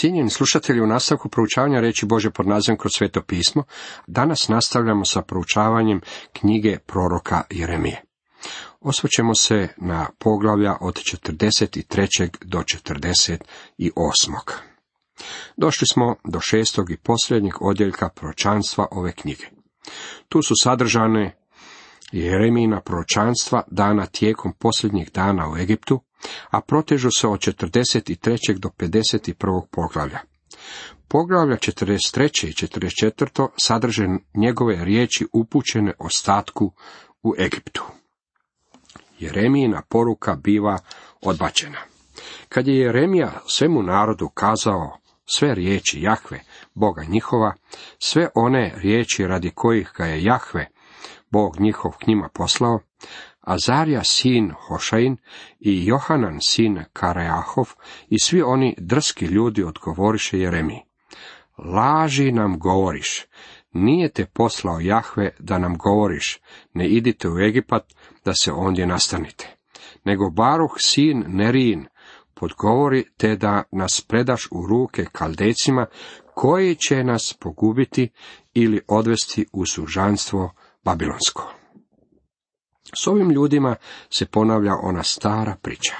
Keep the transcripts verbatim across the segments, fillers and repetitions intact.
Cijenjeni slušatelji, u nastavku proučavanja riječi Božje pod nazivom Kroz sveto pismo, danas nastavljamo sa proučavanjem knjige proroka Jeremije. Osvrćemo se na poglavlja od četrdeset tri do četrdeset osam. Došli smo do šestog i posljednjeg odjeljka proročanstva ove knjige. Tu su sadržane Jeremijina proročanstva dana tijekom posljednjih dana u Egiptu, a protežu se od četrdeset tri do pedeset prvog poglavlja. Poglavlja četrdeset tri i četrdeset četiri sadrže njegove riječi upućene ostatku u Egiptu. Jeremijina poruka biva odbačena. Kad je Jeremija svemu narodu kazao sve riječi Jahve, Boga njihova, sve one riječi radi kojih ga je Jahve, Bog njihov, k njima poslao, Azarija sin Hošain i Johanan sin Kareahov i svi oni drski ljudi odgovoriše Jeremiji: laži nam govoriš, nije te poslao Jahve da nam govoriš, ne idite u Egipat da se ondje nastanite, nego Baruh sin Nerijin podgovori te da nas predaš u ruke Kaldejcima, koji će nas pogubiti ili odvesti u sužanstvo babilonsko. S ovim ljudima se ponavlja ona stara priča.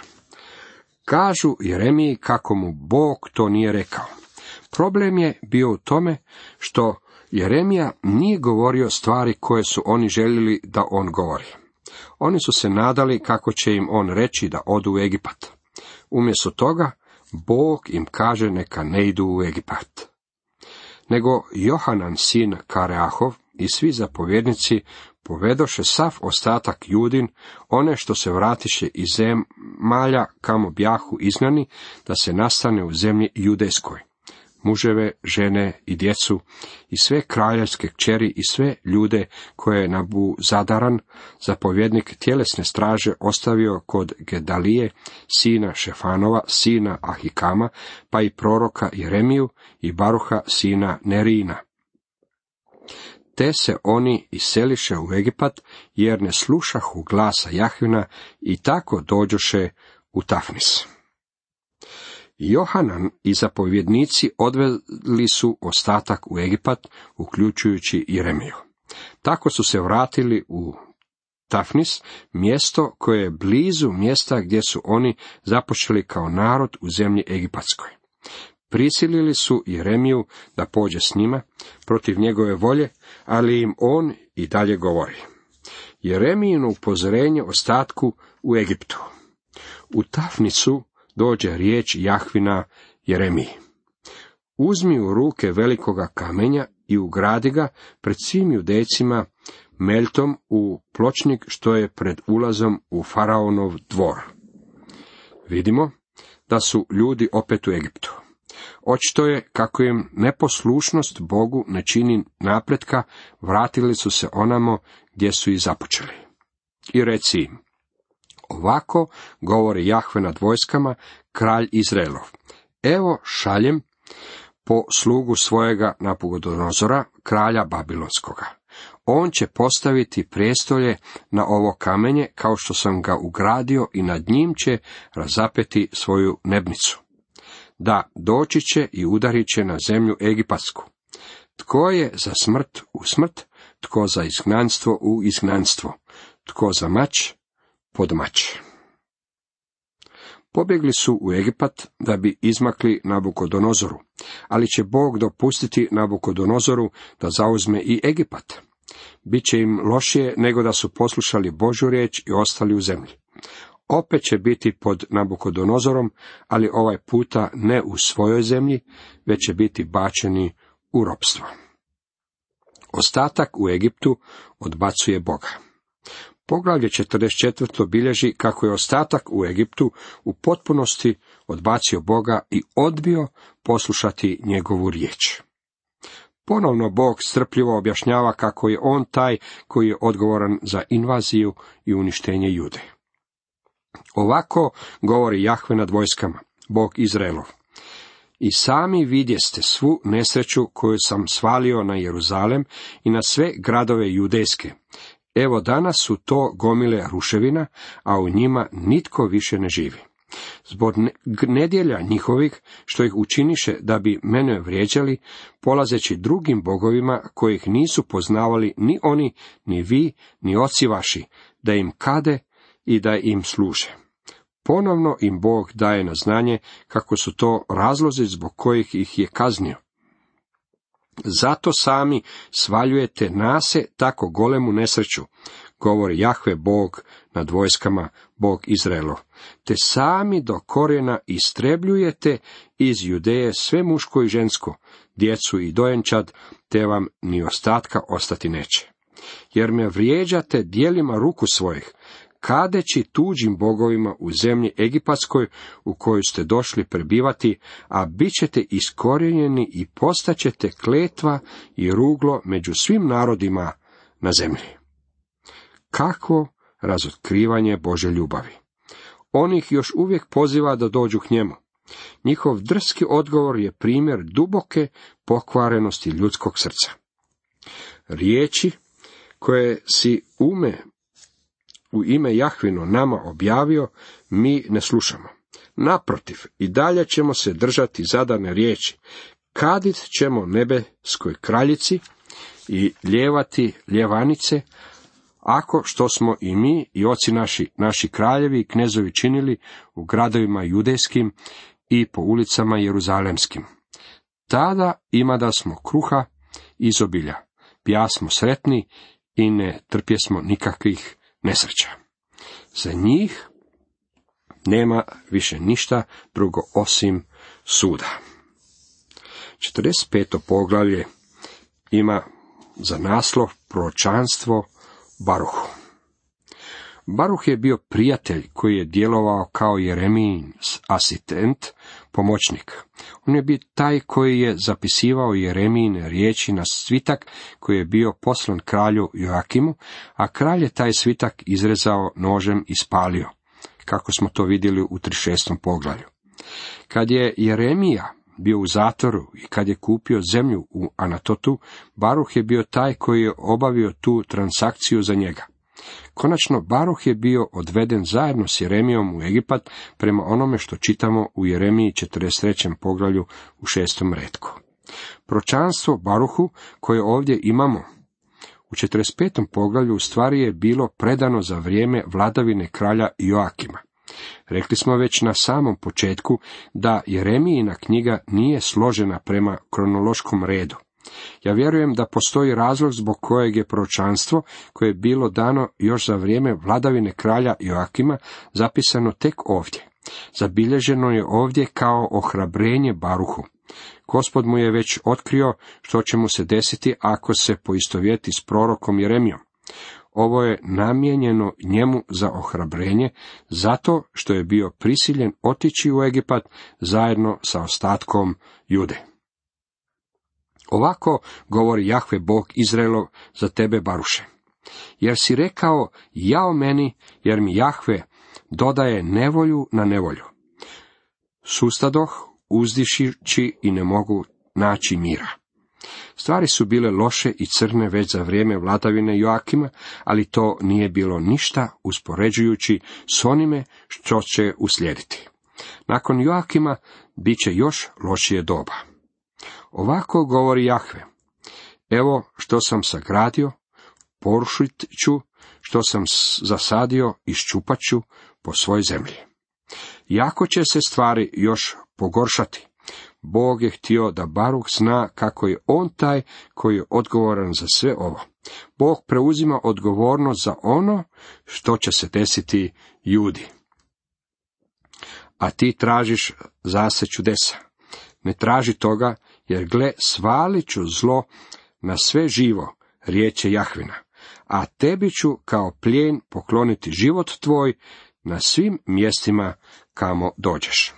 Kažu Jeremiji kako mu Bog to nije rekao. Problem je bio u tome što Jeremija nije govorio stvari koje su oni željeli da on govori. Oni su se nadali kako će im on reći da odu u Egipat. Umjesto toga, Bog im kaže neka ne idu u Egipat. Nego Johanan sin Kareahov i svi zapovjednici povedoše sav ostatak Judin, one što se vratiše iz zemalja kamo bjahu izgnani, da se nastane u zemlji judejskoj, muževe, žene i djecu, i sve kraljevske kćeri i sve ljude koje je Nabuzadaran, zapovjednik tjelesne straže, ostavio kod Gedalije, sina Šefanova, sina Ahikama, pa i proroka Jeremiju i Baruha, sina Nerijina. Te se oni iseliše u Egipat, jer ne slušahu glasa Jahvina, i tako dođoše u Tafnis. Johanan i zapovjednici odveli su ostatak u Egipat, uključujući Jeremiju. Tako su se vratili u Tafnis, mjesto koje je blizu mjesta gdje su oni započeli kao narod u zemlji egipatskoj. Prisilili su Jeremiju da pođe s njima protiv njegove volje, ali im on i dalje govori. Jeremijino upozorenje ostatku u Egiptu. U Tafnisu dođe riječ Jahvina Jeremiji: uzmi u ruke velikoga kamenja i ugradi ga pred svim Judejcima meltom u pločnik što je pred ulazom u faraonov dvor. Vidimo da su ljudi opet u Egiptu. Očito je kako im neposlušnost Bogu ne čini napretka, vratili su se onamo gdje su i započeli. I reci im: ovako govori Jahve nad vojskama, kralj Izraelov: evo šaljem po slugu svojega Nabukodonozora, kralja Babilonskoga. On će postaviti prijestolje na ovo kamenje, kao što sam ga ugradio, i nad njim će razapeti svoju nebnicu. Da, doći će i udarit će na zemlju egipatsku. Tko je za smrt u smrt, tko za izgnanstvo u izgnanstvo, tko za mač pod mač. Pobjegli su u Egipat da bi izmakli Nabukodonozoru, ali će Bog dopustiti Nabukodonozoru da zauzme i Egipat. Biće im lošije nego da su poslušali Božju riječ i ostali u zemlji. Opet će biti pod Nabukodonozorom, ali ovaj puta ne u svojoj zemlji, već će biti bačeni u ropstvo. Ostatak u Egiptu odbacuje Boga. Poglavlje četrdeset četiri bilježi kako je ostatak u Egiptu u potpunosti odbacio Boga i odbio poslušati njegovu riječ. Ponovno Bog strpljivo objašnjava kako je on taj koji je odgovoran za invaziju i uništenje Jude. Ovako govori Jahve nad vojskama, Bog Izraelov: i sami vidjeste svu nesreću koju sam svalio na Jeruzalem i na sve gradove judejske. Evo danas su to gomile ruševina, a u njima nitko više ne živi. zbog nedjelja njihovih, što ih učiniše da bi mene vrijeđali, polazeći drugim bogovima, kojih nisu poznavali ni oni, ni vi, ni oci vaši, da im kade i da im služe. Ponovno im Bog daje na znanje kako su to razlozi zbog kojih ih je kaznio. Zato sami svaljujete na se tako golemu nesreću, govori Jahve Bog nad vojskama, Bog Izraelov, te sami do korijena istrebljujete iz Judeje sve muško i žensko, djecu i dojenčad, te vam ni ostatka ostati neće. Jer me vrijeđate djelima ruku svojih, kadeći tuđim bogovima u zemlji egipatskoj u koju ste došli prebivati, a bit ćete iskorijenjeni i postaćete kletva i ruglo među svim narodima na zemlji. Kakvo razotkrivanje Božje ljubavi! On ih još uvijek poziva da dođu k njemu. Njihov drski odgovor je primjer duboke pokvarenosti ljudskog srca. Riječi koje si ume u ime Jahvino nama objavio, mi ne slušamo. Naprotiv, i dalje ćemo se držati zadane riječi. Kadit ćemo nebeskoj kraljici i ljevati ljevanice, ako što smo i mi i oci naši, naši kraljevi i knezovi činili u gradovima judejskim i po ulicama jeruzalemskim. Tada ima da smo kruha izobilja, pjasmo sretni i ne trpjesmo nikakvih nesreća. Za njih nema više ništa drugo osim suda. četrdeset peto poglavlje ima za naslov proročanstvo Baruhu. Baruh je bio prijatelj koji je djelovao kao Jeremijin asistent, pomoćnik. On je bio taj koji je zapisivao Jeremijine riječi na svitak koji je bio poslan kralju Joakimu, a kralj je taj svitak izrezao nožem i spalio, kako smo to vidjeli u trideset šestom poglavlju. Kad je Jeremija bio u zatvoru i kad je kupio zemlju u Anatotu, Baruh je bio taj koji je obavio tu transakciju za njega. Konačno, Baruh je bio odveden zajedno s Jeremijom u Egipat prema onome što čitamo u Jeremiji četrdeset trećem poglavlju u šestom retku. Proročanstvo Baruhu koje ovdje imamo u četrdeset petom poglavlju u stvari je bilo predano za vrijeme vladavine kralja Joakima. Rekli smo već na samom početku da Jeremijina knjiga nije složena prema kronološkom redu. Ja vjerujem da postoji razlog zbog kojeg je proročanstvo, koje je bilo dano još za vrijeme vladavine kralja Joakima, zapisano tek ovdje. Zabilježeno je ovdje kao ohrabrenje Baruhu. Gospod mu je već otkrio što će mu se desiti ako se poistovjeti s prorokom Jeremijom. Ovo je namijenjeno njemu za ohrabrenje, zato što je bio prisiljen otići u Egipat zajedno sa ostatkom Jude. Ovako govori Jahve Bog Izraelov za tebe, Baruše. Jer si rekao, jao meni, jer mi Jahve dodaje nevolju na nevolju. Sustadoh, uzdišići i ne mogu naći mira. Stvari su bile loše i crne već za vrijeme vladavine Joakima, ali to nije bilo ništa uspoređujući s onime što će uslijediti. Nakon Joakima bit će još lošije doba. Ovako govori Jahve, evo što sam sagradio, porušit ću, što sam zasadio, iščupat ću po svoj zemlji. Jako će se stvari još pogoršati. Bog je htio da Baruh zna kako je on taj koji je odgovoran za sve ovo. Bog preuzima odgovornost za ono što će se desiti Judi. A ti tražiš zase čudesa. Ne traži toga, jer gle, svalit ću zlo na sve živo, riječ je Jahvina, a tebi ću kao plijen pokloniti život tvoj na svim mjestima kamo dođeš.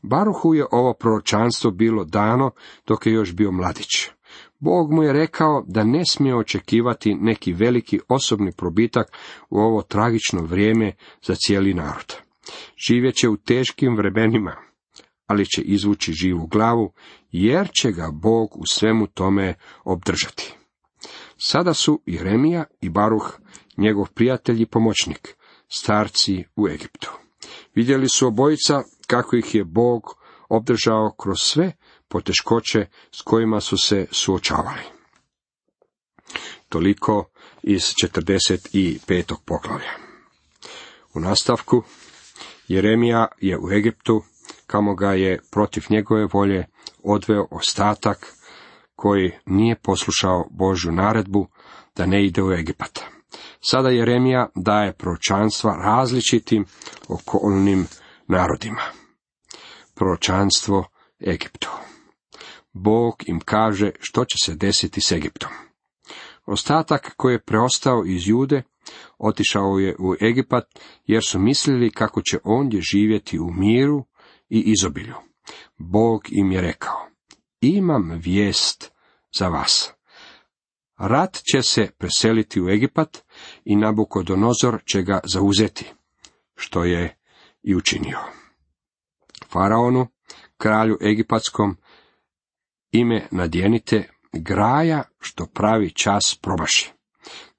Baruhu je ovo proročanstvo bilo dano dok je još bio mladić. Bog mu je rekao da ne smije očekivati neki veliki osobni probitak u ovo tragično vrijeme za cijeli narod. Živjet će u teškim vremenima, ali će izvući živu glavu, jer će ga Bog u svemu tome obdržati. Sada su Jeremija i Baruh, njegov prijatelj i pomoćnik, starci u Egiptu. Vidjeli su obojica kako ih je Bog obdržao kroz sve poteškoće s kojima su se suočavali. Toliko iz četrdeset petog poglavlja. U nastavku, Jeremija je u Egiptu, kamo ga je protiv njegove volje odveo ostatak koji nije poslušao Božju naredbu da ne ide u Egipat. Sada Jeremija daje proročanstva različitim okolnim narodima. Proročanstvo Egiptu. Bog im kaže što će se desiti s Egiptom. Ostatak koji je preostao iz Jude otišao je u Egipat, jer su mislili kako će ondje živjeti u miru i izobilju. Bog im je rekao: imam vijest za vas. Rat će se preseliti u Egipat i Nabukodonozor će ga zauzeti, što je i učinio. Faraonu, kralju egipatskom, ime nadjenite, graja što pravi čas promaši.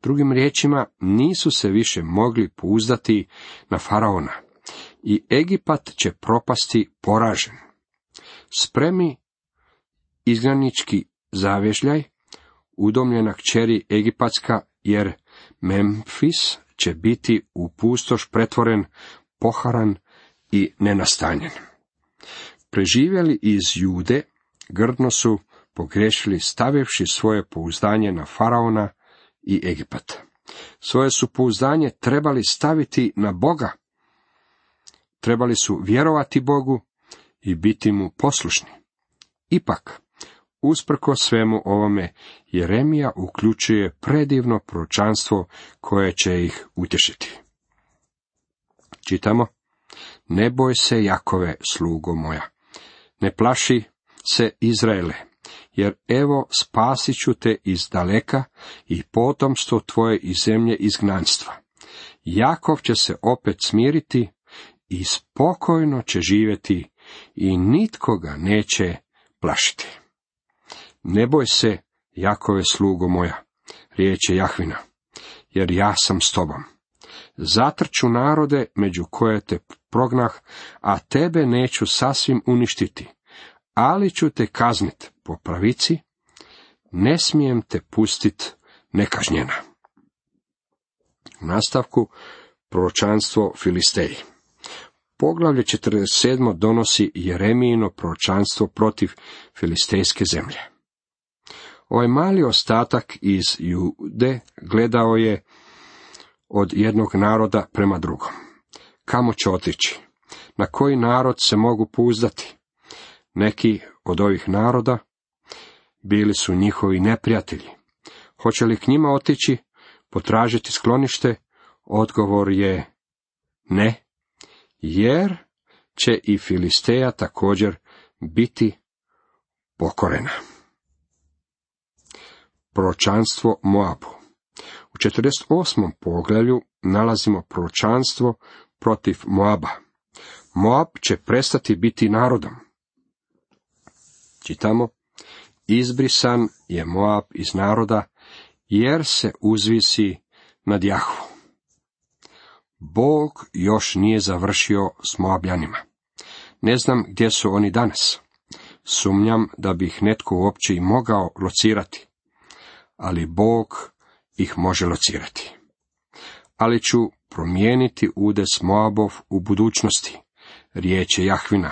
Drugim riječima, nisu se više mogli pouzdati na faraona i Egipat će propasti poražen. Spremi izgnanički zavježljaj, udomljena kćeri egipatska, jer Memfis će biti u pustoš pretvoren, poharan i nenastanjen. Preživjeli iz Jude grdno su pogriješili stavivši svoje pouzdanje na faraona i Egipat. Svoje su pouzdanje trebali staviti na Boga. Trebali su vjerovati Bogu i biti mu poslušni. Ipak, usprkos svemu ovome, Jeremija uključuje predivno proročanstvo koje će ih utješiti. Čitamo: ne boj se, Jakove, slugo moja, ne plaši se, Izraele, jer evo spasit ću te iz daleka i potomstvo tvoje iz zemlje izgnanstva. Jakov će se opet smiriti i spokojno će živjeti i nitko ga neće plašiti. Ne boj se, Jakove, slugo moja, riječ je Jahvina, jer ja sam s tobom. Zatrču narode među koje te prognah, a tebe neću sasvim uništiti, ali ću te kaznit po pravici, ne smijem te pustit nekažnjena. U nastavku, proročanstvo Filisteji. Poglavlje četrdeset sedam donosi Jeremijino proročanstvo protiv filistejske zemlje. Ovaj mali ostatak iz Jude gledao je od jednog naroda prema drugom. Kamo će otići? Na koji narod se mogu pouzdati? Neki od ovih naroda bili su njihovi neprijatelji. Hoće li k njima otići, potražiti sklonište? Odgovor je ne, jer će i Filisteja također biti pokorena. Proročanstvo Moabu. U četrdeset osmom poglavlju nalazimo proročanstvo protiv Moaba. Moab će prestati biti narodom. Čitamo: izbrisan je Moab iz naroda, jer se uzvisi nad Jahvu. Bog još nije završio s Moabljanima. Ne znam gdje su oni danas. Sumnjam da bi ih netko uopće i mogao locirati, ali Bog ih može locirati. Ali ću promijeniti udes Moabov u budućnosti, riječ je Jahvina,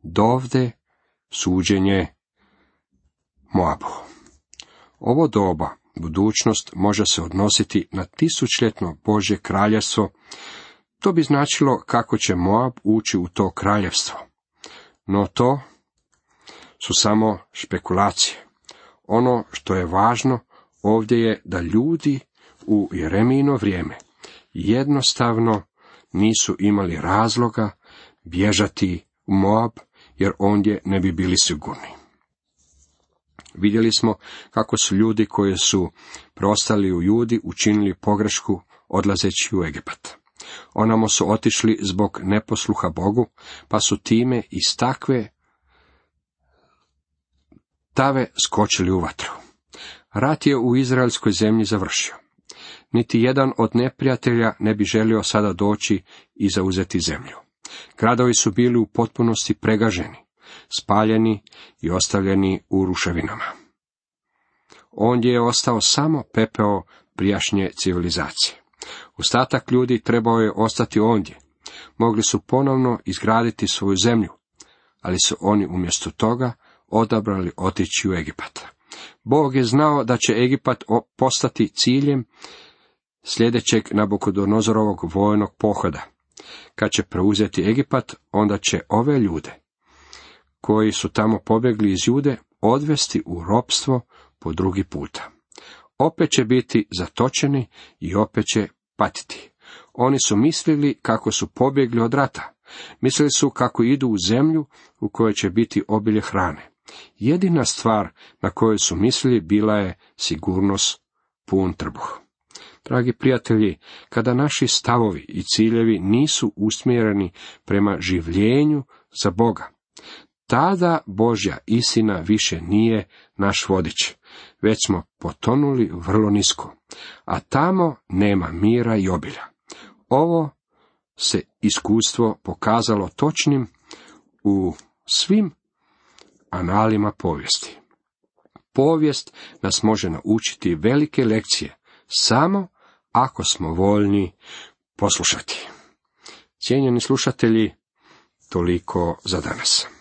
dovde suđenje Moabu. Ovo doba, budućnost, može se odnositi na tisućljetno Božje kraljevstvo. To bi značilo kako će Moab ući u to kraljevstvo. No to su samo špekulacije. Ono što je važno ovdje je da ljudi u Jeremijino vrijeme jednostavno nisu imali razloga bježati u Moab, jer ondje ne bi bili sigurni. Vidjeli smo kako su ljudi koji su preostali u Judi učinili pogrešku odlazeći u Egipat. Onamo su otišli zbog neposluha Bogu, pa su time iz takve tave skočili u vatru. Rat je u izraelskoj zemlji završio. Niti jedan od neprijatelja ne bi želio sada doći i zauzeti zemlju. Gradovi su bili u potpunosti pregaženi, spaljeni i ostavljeni u ruševinama. Ondje je ostao samo pepeo prijašnje civilizacije. Ostatak ljudi trebao je ostati ondje. Mogli su ponovno izgraditi svoju zemlju, ali su oni umjesto toga odabrali otići u Egipat. Bog je znao da će Egipat postati ciljem sljedećeg Nabukodonozorovog vojnog pohoda. Kad će preuzeti Egipat, onda će ove ljude, koji su tamo pobjegli iz Jude, odvesti u ropstvo po drugi puta. Opet će biti zatočeni i opet će patiti. Oni su mislili kako su pobjegli od rata. Mislili su kako idu u zemlju u kojoj će biti obilje hrane. Jedina stvar na koju su mislili bila je sigurnost, pun trbuh. Dragi prijatelji, kada naši stavovi i ciljevi nisu usmjereni prema življenju za Boga, tada Božja istina više nije naš vodič, već smo potonuli vrlo nisko, a tamo nema mira i obilja. Ovo se iskustvo pokazalo točnim u svim analima povijesti. Povijest nas može naučiti velike lekcije, samo ako smo voljni poslušati. Cijenjeni slušatelji, toliko za danas.